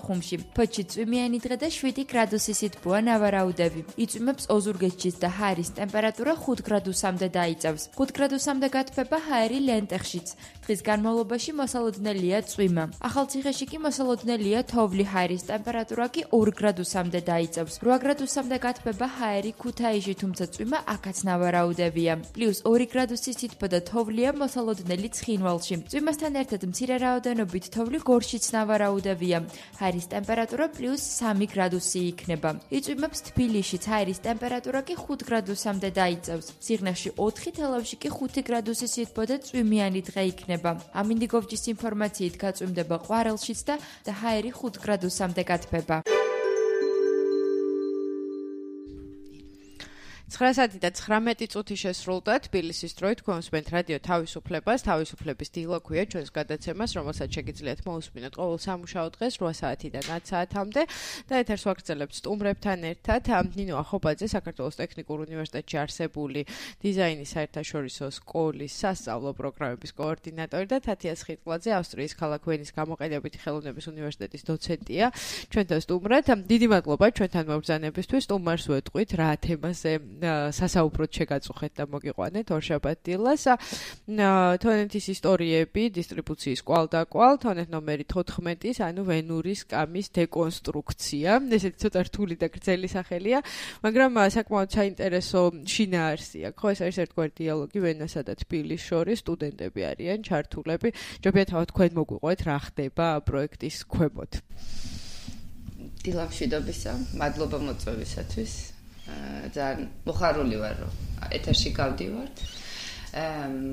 ხუმში. ფოთში წვიმიანი დღე და 7 გრადუსი სითბოა ნავარაუდები. იწვიმებს ოზურგეთშიც და ჰაერის ტემპერატურა 5 გრადუსამდე დაიწევს. 5 გრადუსამდე გათბება ჰაერი ლენტეხშიც. დღის განმავლობაში მოსალოდნელია წვიმა. ახალციხეში კი მოსალოდნელია თოვლი, ჰაერის ტემპერატურა კი 2 გრადუსამდე დაიწევს. 8 გრადუსამდე გათბება ჰაერი ქუთაისში, თუმცა წვიმა აქაც ნავარაუდებია. +2 გრადუსი სითბო და თოვლია მოსალოდნელი ცხინვალში. წვიმასთან ერთად მცირე რაოდენობით თოვლი გორშიც ნავარაუდებია. ჰაერის ტემპერატურა +3 გრადუსი იქნება. იწვიმებს თბილისშიც, ჰაერის ტემპერატურა კი 5 გრადუსამდე დაიწევს. სიღნაღში 4, თელავში კი 5 გრადუსი სითბო და წვიმიანი დღე იქნება. ამინდიგოვჯის ინფორმაციით გაწვიმდება ყვარელშიც და ჰაერი 5 გრადუსამდე გათბება. 9 საათი და 19 წუთი შესრულდა თბილისის დროით გვესმენთ რადიო თავისუფლებას, თავისუფლების დილა ქვია ჩვენს გადაცემას, რომელსაც შეგიძლიათ მოусმინოთ ყოველ სამუშაო დღეს 8 საათიდან 10 საათამდე და ეთერს ვაგრძელებთ სტუმრებთან ერთად. ნინო ახობაძე, საქართველოს ტექნიკურ უნივერსიტეტში არსებული დიზაინის საერთაშორისო სკოლის სასწავლო პროგრამების კოორდინატორი და თათია სხიტყლაძე, ავსტრიის ქალაქ ვენის გამოყენებითი ხელოვნების უნივერსიტეტის დოცენტია. ჩვენთან სტუმრად. დიდი მადლობა ჩვენთან მობრძანებისთვის. სტუმარს ვეტყვით რა თემაზე სასაუბროდ შეგაწუხეთ და მოგიყვანეთ ორშაბათ დილას. თონეთის ისტორიები, დისტრიბუციის კვალ-დაკვალ, თონეთ ნომერი 14, ანუ ვენურის სკამის დეკონსტრუქცია. ესეთი ცოტა რთული და გრძელი სახელია, მაგრამ საკმაოდ საინტერესო შინაარსია. ხო, ეს არის ერთგვარი დიალოგი ვენასა და თბილისს შორის, სტუდენტები არიან ჩართულები. ჯობია თავად თქვენ მოგვიყვეთ რა ხდება პროექტის ქვემოთ. დილამშვიდობისა, მადლობა მოწვევისათვის. ძალიან მოხარული ვარ, რომ ეთერში გავდივართ.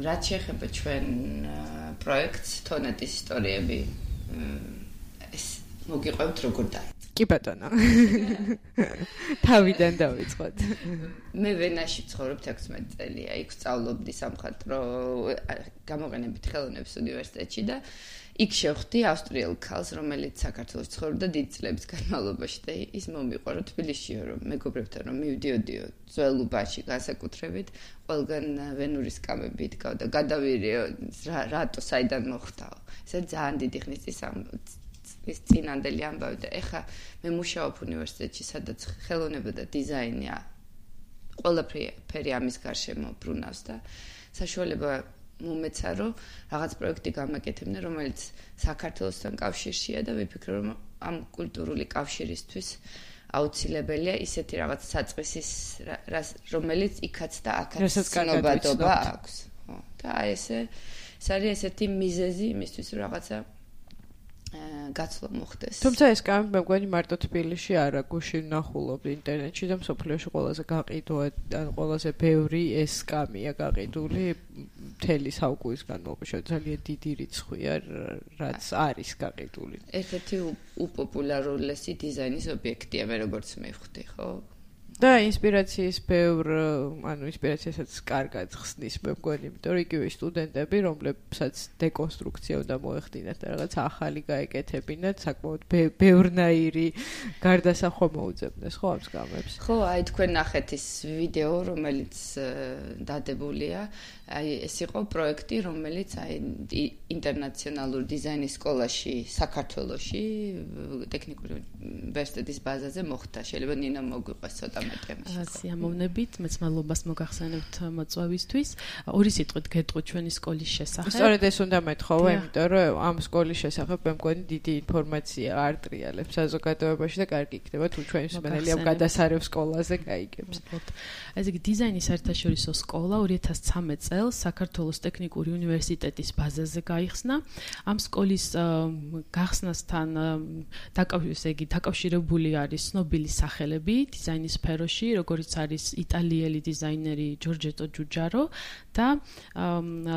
რაც შეეხება ჩვენ პროექტს თონეთის ისტორიები, ეს მოგიყვებთ როგორ დაიწყო. კი ბატონო. თავიდან დავიწყოთ. მე ვენაში ცხოვრობ 16 წელია, იქ სწავლობდი სამხატვრო გამოყენებითი ხელოვნების უნივერსიტეტში და იქ შევხვდი ავსტრიელ ქალს, რომელიც საქართველოს ცხოვრობდა დიდ წლების განმავლობაში და ის მომიყვარო თბილისში, რომ მეგობრებთან რომ მივდიოდიო ძველუბაში განსაკუთრებით, ყველგან ვენურის სკამები იდგა და გადავირიო რატო საიდან მოხდაო. ეს ძალიან დიდი ხნის ის წინანდელი ამბავი და ეხა მე მუშაობ უნივერსიტეტში, სადაც ხელოვნება და დიზაინია ყველაფერი ამის გარშემო ბრუნავს და საშუალება მომეცა რომ რაღაც პროექტი გამაკეთებინა, რომელიც საქართველოსთან კავშირშია და ვიფიქრე რომ ამ კულტურული კავშირისთვის აუცილებელია ისეთი რაღაც საწყისის რომელიც იქაც და აქაც ცნობადობა აქვს. ხო, და ეს არის ესეთი მიზეზი იმისთვის რომ რაღაცა გაცვლა მოხდეს. თუმცა ეს კამი მე მგონი მარტო თბილისში არა, გუშინ ვნახულობ ინტერნეტში და მსოფლიოში ყველაზე გაყიდვა, ან ყველაზე ბევრი ეს კამია გაყიდული მთელი საუკუნის განმავლობაში, ძალიან დიდი რიცხვია, რაც არის გაყიდული. ერთ-ერთი უპოპულარულესი დიზაინის ობიექტია, მე როგორც მივხვდი, ხო? და ინსპირაციის ინსპირაციასაც კარგად ხსნის მე მგონი, იმიტომ რომ იგივე სტუდენტები, რომლებსაც დეკონსტრუქცია უნდა მოეხდინათ და რაღაც ახალი გაეკეთებინათ, საკმაოდ ბევრნაირი გარდასახვა მოუძებნეს, ხო, ამ სკამებს? ხო, აი თქვენ ნახეთ ის ვიდეო, რომელიც დადებულია, აი ეს იყო პროექტი, რომელიც აი ინტერნაციონალურ დიზაინის სკოლაში, საქართველოში, ტექნიკური უნივერსიტეტის ბაზაზე მოხდა. შეიძლება ნინა მოგვიყვეს ცოტა სიამოვნებით, მეც მადლობას მოგახსენებთ მოწვევისთვის. ორი სიტყვით გეტყვით ჩვენი სკოლის შესახებ. სწორედ ეს უნდა მეთხოვო, იმიტომ რომ ამ სკოლის შესახებ მე მგონი დიდი ინფორმაცია არ ტრიალებს საზოგადოებაში და კარგი იქნება თუ ჩვენი მსმენელი ამ გადასარევ სკოლაზე გაიგებს. ესე იგი დიზაინის საერთაშორისო სკოლა 2013 წელს საქართველოს ტექნიკური უნივერსიტეტის ბაზაზე გაიხსნა. ამ სკოლის გახსნასთან დაკავშირებული არის ცნობილი სახელები დიზაინის სფეროში, როგორც არის იტალიელი დიზაინერი ჯორჯეტო ჯუჯარო და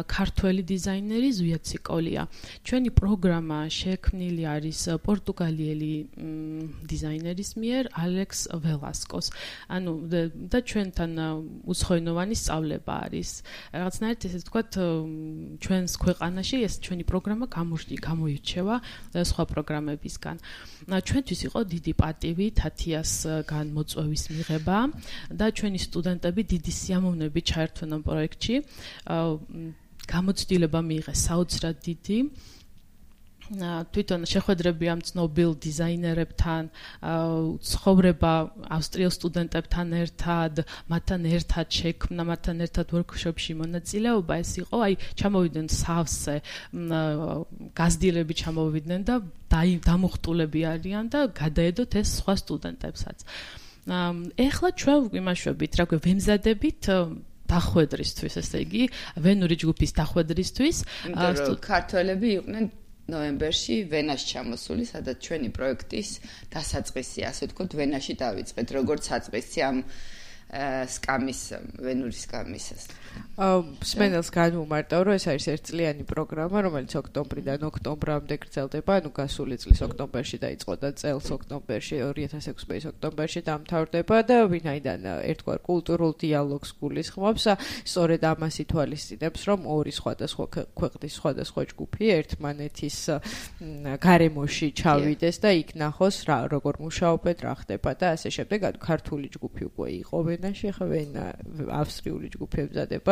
ქართველი დიზაინერი ზვია ციკოლია. ჩვენი პროგრამა შექმნილი არის პორტუგალიელი დიზაინერის მიერ ალექს ველასკოს. ანუ და ჩვენთან უცხოენოვანი სწავლება არის. რაღაცნაირად ესე ვთქვათ, ჩვენს ქვეყანაში ეს ჩვენი პროგრამა გამოირჩევა სხვა პროგრამებისგან. ჩვენთვის იყო დიდი პატივი თათიასგან მოწვევის მიღება და ჩვენი სტუდენტები დიდი სიამოვნებით ჩაერთვნენ ამ პროექტში. გამოცდილება მიიღეს საოცრად დიდი თვითონ შეხვედრები ამ ცნობილ დიზაინერებთან, ცხოვრება ავსტრიელ სტუდენტებთან ერთად, მათთან ერთად შექმნა, მათთან ერთად ვორქშოპში მონაწილეობა, ეს იყო, ჩამოვიდნენ სავსე გაზრდილები ჩამოვიდნენ და დამუხტულები არიან და გადაედოთ ეს სხვა სტუდენტებსაც. ეხლა ჩვენ ვიმაშვებით, რა ქვია, ვემზადებით დახვედრისთვის, ესე იგი, ვენური ჯგუფის დახვედრისთვის. ქართველები იყვნენ ნოემბერში ვენაში ჩამოსული, სადაც ჩვენი პროექტის დასაწყისი, ასე ვთქვათ, ვენაში დავიწყეთ, როგორც საწყისი ამ სკამის, ვენური სკამის. მსმენელს განვუმარტავ, რომ ეს არის ერთწლიანი პროგრამა, რომელიც ოქტომბრიდან ოქტომბრამდე გრძელდება, ანუ გასული წლის ოქტომბერში დაიწყო და წელს ოქტომბერში, 2006 წლის ოქტომბერში დამთავრდება და ვინაიდან ერთგვარ კულტურულ დიალოგს გულისხმობს, სწორედ ამას ითვალისწინებს, რომ ორი სხვადასხვა ქვეყნის სხვადასხვა ჯგუფი ერთმანეთის გარემოში ჩავიდეს და იქ ნახოს როგორ მუშაობენ, რა ხდება და ასე შემდეგ. ანუ ქართული ჯგუფი უკვე იყო ვენაში, ახლა ავსტრიული ჯგუფი ემზადება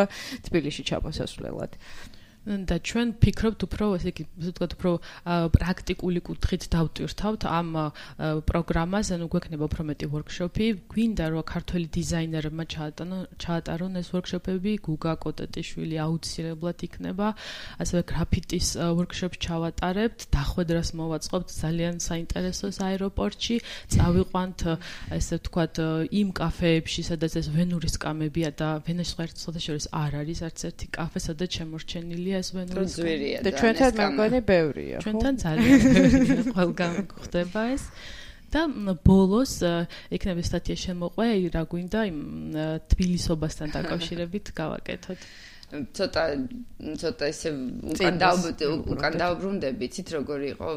თბილისში ჩამოსასვლელად. და ჩვენ ფიქრობთ უფრო, ესე იგი, ვთქვათ, უფრო პრაქტიკული კუთხით დავტვირთავთ ამ პროგრამას, ანუ გვექნება უფრო მეტი ვორქშოპი, გვინდა რომ ქართველი დიზაინერებმა ჩაატარონ ეს ვორქშოპები, გუგა კოტეტიშვილი აუცილებლად იქნება, ასევე გრაფიტის ვორქშოპს ჩავატარებთ, დახვედრას მოვაწყობთ ძალიან საინტერესოს აეროპორტში, წავიყვანთ, ესე ვთქვათ, იმ კაფეებში, სადაც ეს ვენური სკამებია და ვენაში შორის არ არის არც ერთი კაფე, სადაც შემორჩენილია ეს ვენური სკამები. და ჩვენთან მეგონი ბევრია. ჩვენთან ძალიან ბევრია, ყველგან გვხდება ეს. და ბოლოს იქნება სტატია შემოყვე, რა გვინდა იმ თბილისობასთან დაკავშირებით გავაკეთოთ. ცოტა ისე უკან დავბრუნდები, იცით როგორ იყო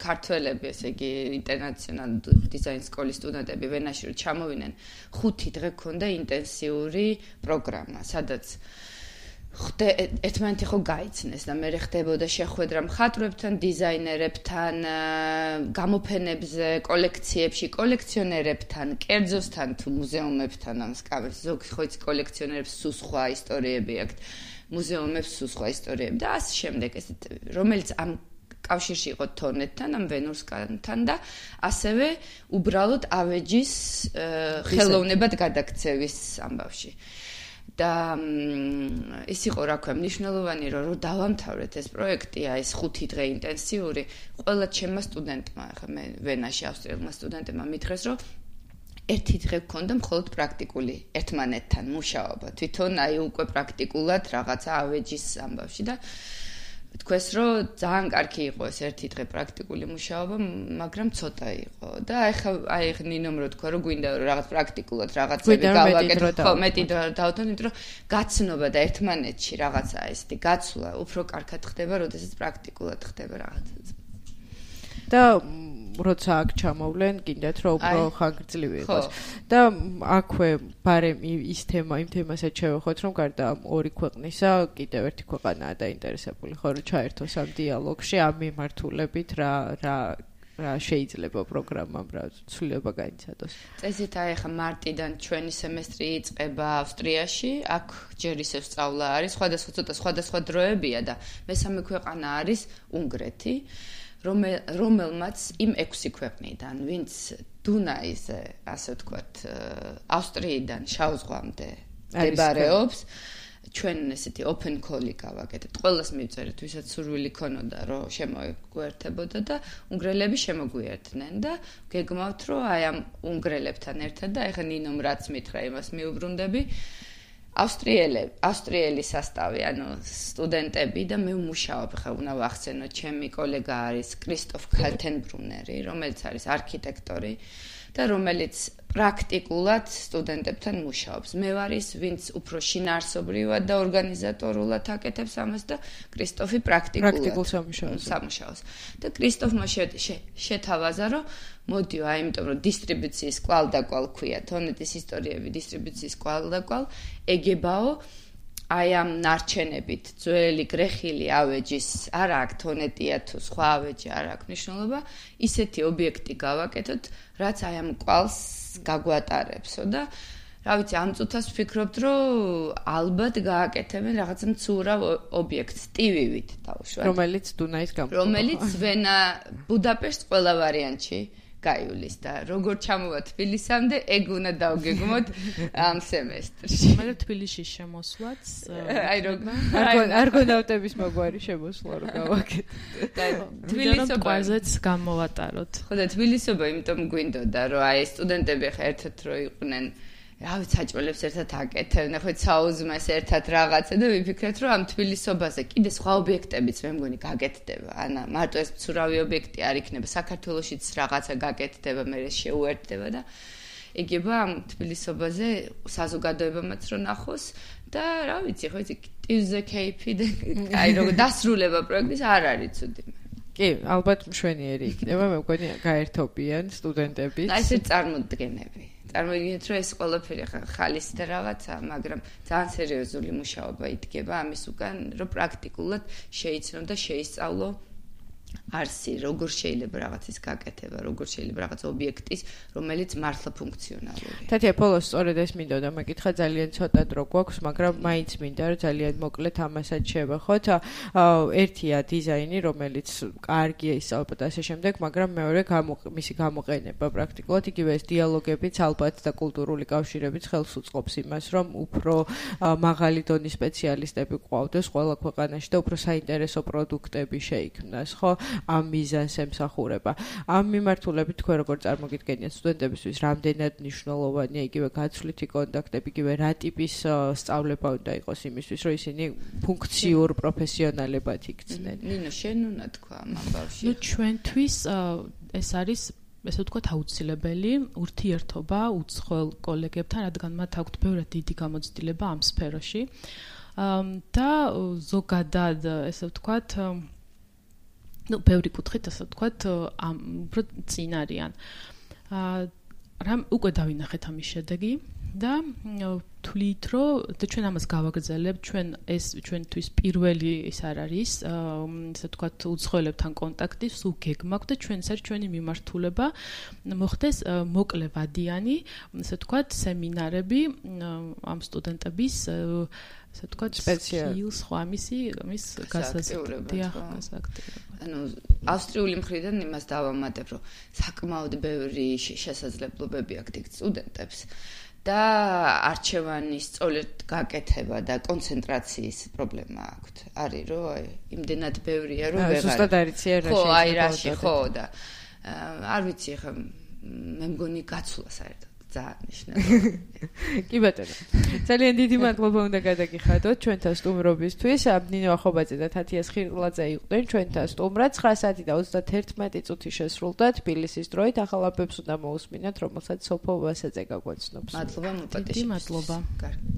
ქართველები, ესე იგი ინტერნაციონალ დიზაინ სკოლის სტუდენტები ვენაში ჩამოვიდნენ, 5 დღე ქონდა ინტენსიური პროგრამა, სადაც ერთმანეთი ხო გაიცნეს და მე ხდებოდა შეხვედრა მხატვრებთან, დიზაინერებთან, გამოფენებზე, კოლექციებში, კოლექციონერებთან, კერძოსთან თუ მუზეუმებთან ამ სკამებს. ზოგი ხო იცი კოლექციონერებს სულ სხვა ისტორიები აქვთ, მუზეუმებს სულ სხვა ისტორიები და ასე შემდეგ, ესეთ რომელიც ამ კავშირში იყო თორნეთთან, ამ ვენურსკანთან და ასევე უბრალოდ ავეჯის ხელოვნებად გადაქცევის ამბავში. და ის იყო რა ქვია მნიშვნელოვანი რომ დავამთავრეთ ეს პროექტი, ეს 5 დღე ინტენსიური, ყველა ჩემმა სტუდენტმა, ახლა მე ვენაში ავსტრიელმა სტუდენტებმა მითხრეს, რომ 1 დღე გქონდა მხოლოდ პრაქტიკული ერთმანეთთან მუშაობა, თვითონ უკვე პრაქტიკულად რაღაცა ავეჯის ამბავში და თქვეს რომ ძალიან კარგი იყო ეს 1 დღე პრაქტიკული მუშაობა, მაგრამ ცოტა იყო და აი ნინომ რო თქვა რომ გვინდა რომ რაღაც პრაქტიკულად რაღაცები გავაკეთოთ, ხო, მეტი დავთვალოთ, იმიტომ რომ გაცნობა და ერთმანეთში რაღაცა ესეთი გაცვლა უფრო კარგად ხდება, როდესაც პრაქტიკულად ხდება რაღაცა. და როცა აქ ჩამოვლენ, გინდათ რომ უფრო ხანგრძლივი იყოს. და აქვე ბარემ ის თემა, იმ თემასაც შევეხოთ, რომ გარდა ორი ქვეყნისა, კიდევ ერთი ქვეყანაა დაინტერესებული, ხო, რომ ჩაერთოს ამ დიალოგში, ამ მიმართულებით რა შეიძლება პროგრამამ რა ცვლილება გაიცადოს. წესით ახლა მარტიდან ჩვენი სემესტრი იწყება ავსტრიაში, აქ ჯერ ისევ სწავლა არის, სხვადასხვა დროებია და მესამე ქვეყანა არის უნგრეთი. რომელმაც იმ 6 ქვეყნიდან, ვინც დუნაიზე, ასე ვთქვათ, ავსტრიიდან შავ ზღვამდე მდებარეობს, ჩვენ ესეთი open call-ი გავაკეთეთ. ყველას მივწერეთ, ვისაც სურვილი ქონოდა, რომ შემოგვერთებოდა და უნგრელები შემოგვიერთდნენ და გეგმავთ, რომ აი ამ უნგრელებთან ერთად და ეხლა ნინომ რაც მითხრა, იმას მიუბრუნდები. ავსტრიელი სასტავი, ანუ სტუდენტები და მე ვმუშაობ, ხა უნდა ვახსენო, ჩემი კოლეგა არის კრისტოფ ქალთენბრუნერი, რომელიც არის არქიტექტორი და რომელიც პრაქტიკულად სტუდენტებთან მუშაობს. მე ვარ ის, ვინც უფრო შინაარსობრივად და ორგანიზატორულად აკეთებს ამას და კრისტოფი პრაქტიკულ სამუშაოს. და კრისტოფმა შეთავაზა, რომ მოდიო, იმიტომ რომ დისტრიბუციის კვალ-დაკვალ ქვია, თონეთის ისტორიები დისტრიბუციის კვალ-დაკვალ, ეგებაო აი ამ ნარჩენებით, ძველი გრეხილი ავეჯის, არა აქ თონეტია თუ სხვა ავეჯი არ აქვს მნიშვნელობა, ისეთი ობიექტი გავაკეთოთ, რაც აი ამ კვალს გაგვატარებსო და რა ვიცი, ამ წუთას ვფიქრობთ, რომ ალბათ გააკეთებენ რაღაცა მცურავ ობიექტს ტივივით დავუშვათ. რომელიც დუნაის გამო. რომელიც ვენა ბუდაპეშტს ყველა ვარიანტში გაივლის და როგორ ჩამოვა თბილისამდე, ეგ უნდა დავგეგმოთ ამ სემესტრში. მე თბილისში შემოსვლაც აი არგონავტების მოგვარი შემოსვლა რო გავაკეთეთ. თბილისობაზეც გამოვატაროთ. ხო და თბილისობა იმიტომ გვინდოდა, რომ აი სტუდენტები ხა ერთად რო იყვნენ, რა ვიცი, საჭმელებს ერთად აკეთებდნენ, ხო საუზმეს ერთად რაღაცა და ვიფიქრეთ, რომ ამ თბილისობაზე კიდე სხვა ობიექტებიც მე მგონი გაკეთდება. ანა მარტო ეს მცურავი ობიექტი არ იქნება, საქართველოშიც რაღაცა გაკეთდება, მე შეუერთდება და იგება ამ თბილისობაზე საზოგადოებამაც რო ნახოს და რა ვიცი, ხო იცი, ტივზე кейფი და აი როგორ დასრულება პროექტის არ არის ცუდი. კი, ალბათ მშვენიერი იქნება, მე მგონი გაერთობიან სტუდენტები. აი ეს წარმოდგენები. წარმოგიდგენთ, რომ ეს ყველაფერი ხალის და რაღაცა, მაგრამ ძალიან სერიოზული მუშაობა იდგება ამის უკან, რომ პრაქტიკულად შეიცნო და შეისწავლო არსი, როგორ შეიძლება რაღაცის გაკეთება, როგორ შეიძლება რაღაც ობიექტის, რომელიც მართლა ფუნქციონალურია. თათია, ბოლოს სწორედ ეს მინდოდა მეკითხა, ძალიან ცოტა დრო გვაქვს, მაგრამ მაინც მინდა რომ ძალიან მოკლედ ამასაც შევახოთ. ერთია დიზაინი, რომელიც კარგია ისწავლება და ასე შემდეგ, მაგრამ მეორე მისი გამოყენება პრაქტიკულად, იგივე ეს დიალოგებიც ალბათ და კულტურული კავშირებიც ხელს უწყობს იმას, რომ უფრო მაღალი დონის სპეციალისტები გვყავდეს ყველა ქვეყანაში და უფრო საინტერესო პროდუქტები შეიქმნას, ხო? ამ მიზანს ემსახურება. ამ მიმართულებით თქვენ როგორ წარმოგიდგენიათ სტუდენტებისთვის რამდენად მნიშვნელოვანია იგივე გაცვლითი კონტაქტები, იგივე რა ტიპის სწავლება უნდა იყოს იმისთვის, რომ ისინი ფუნქციურ პროფესიონალებად იქცნენ. ნინო, შენ უნდა თქვა ამ ამბავში. ნუ ჩვენთვის ეს არის ესე ვთქვათ აუცილებელი ურთიერთობა უცხოელ კოლეგებთან, რადგან მათ აქვთ ბევრად დიდი გამოცდილება ამ სფეროში. და ზოგადად ესე ვთქვათ ну, ბევრი კუთხით ასე ვთქვათ, უფრო წინ არიან. რამ უკვე დავინახეთ ამის შედეგი და თვლით, რომ და ჩვენ ამას გავაგრძელებთ, ჩვენთვის პირველი ის არ არის, ასე ვთქვათ, უცხოელებთან კონტაქტი, სულ გეგმაქვს და ჩვენც არის ჩვენი მიმართულება მოხდეს მოკლევადიანი, ასე ვთქვათ, სემინარები ამ სტუდენტების ასე ვთქვათ, სპეციალს ხო ამის გასაზრდია. ანუ ავსტრიული მხრიდან იმას დავამატებ, რომ საკმაოდ ბევრი შესაძლებლობები აქვს დიდ სტუდენტებს და არჩევანის სწორედ გაკეთება და კონცენტრაციის პრობლემა აქვს. არის რომ აი იმდენად ბევრია რომ ვეღარ ზუსტად არიცია რა ხო, აი რაში ხო და არ ვიცი ხა მე მგონი გაცვლა საერთოდ ძალიან მნიშვნელოვანია. კი ბატონო. ძალიან დიდი მადლობა უნდა გადაგიხადოთ ჩვენთან სტუმრობისთვის. ნინო ახობაძე და თათია სხირტლაძე იყვნენ ჩვენთან სტუმრად. 9 საათი და 31 წუთი შესრულდა თბილისის დროით. ახალ ამბებს უნდა მოусმინოთ, რომელსაც სოფო ვასაძე გაგვაცნობს. მადლობა მოპატიში. დიდი მადლობა. კარგი.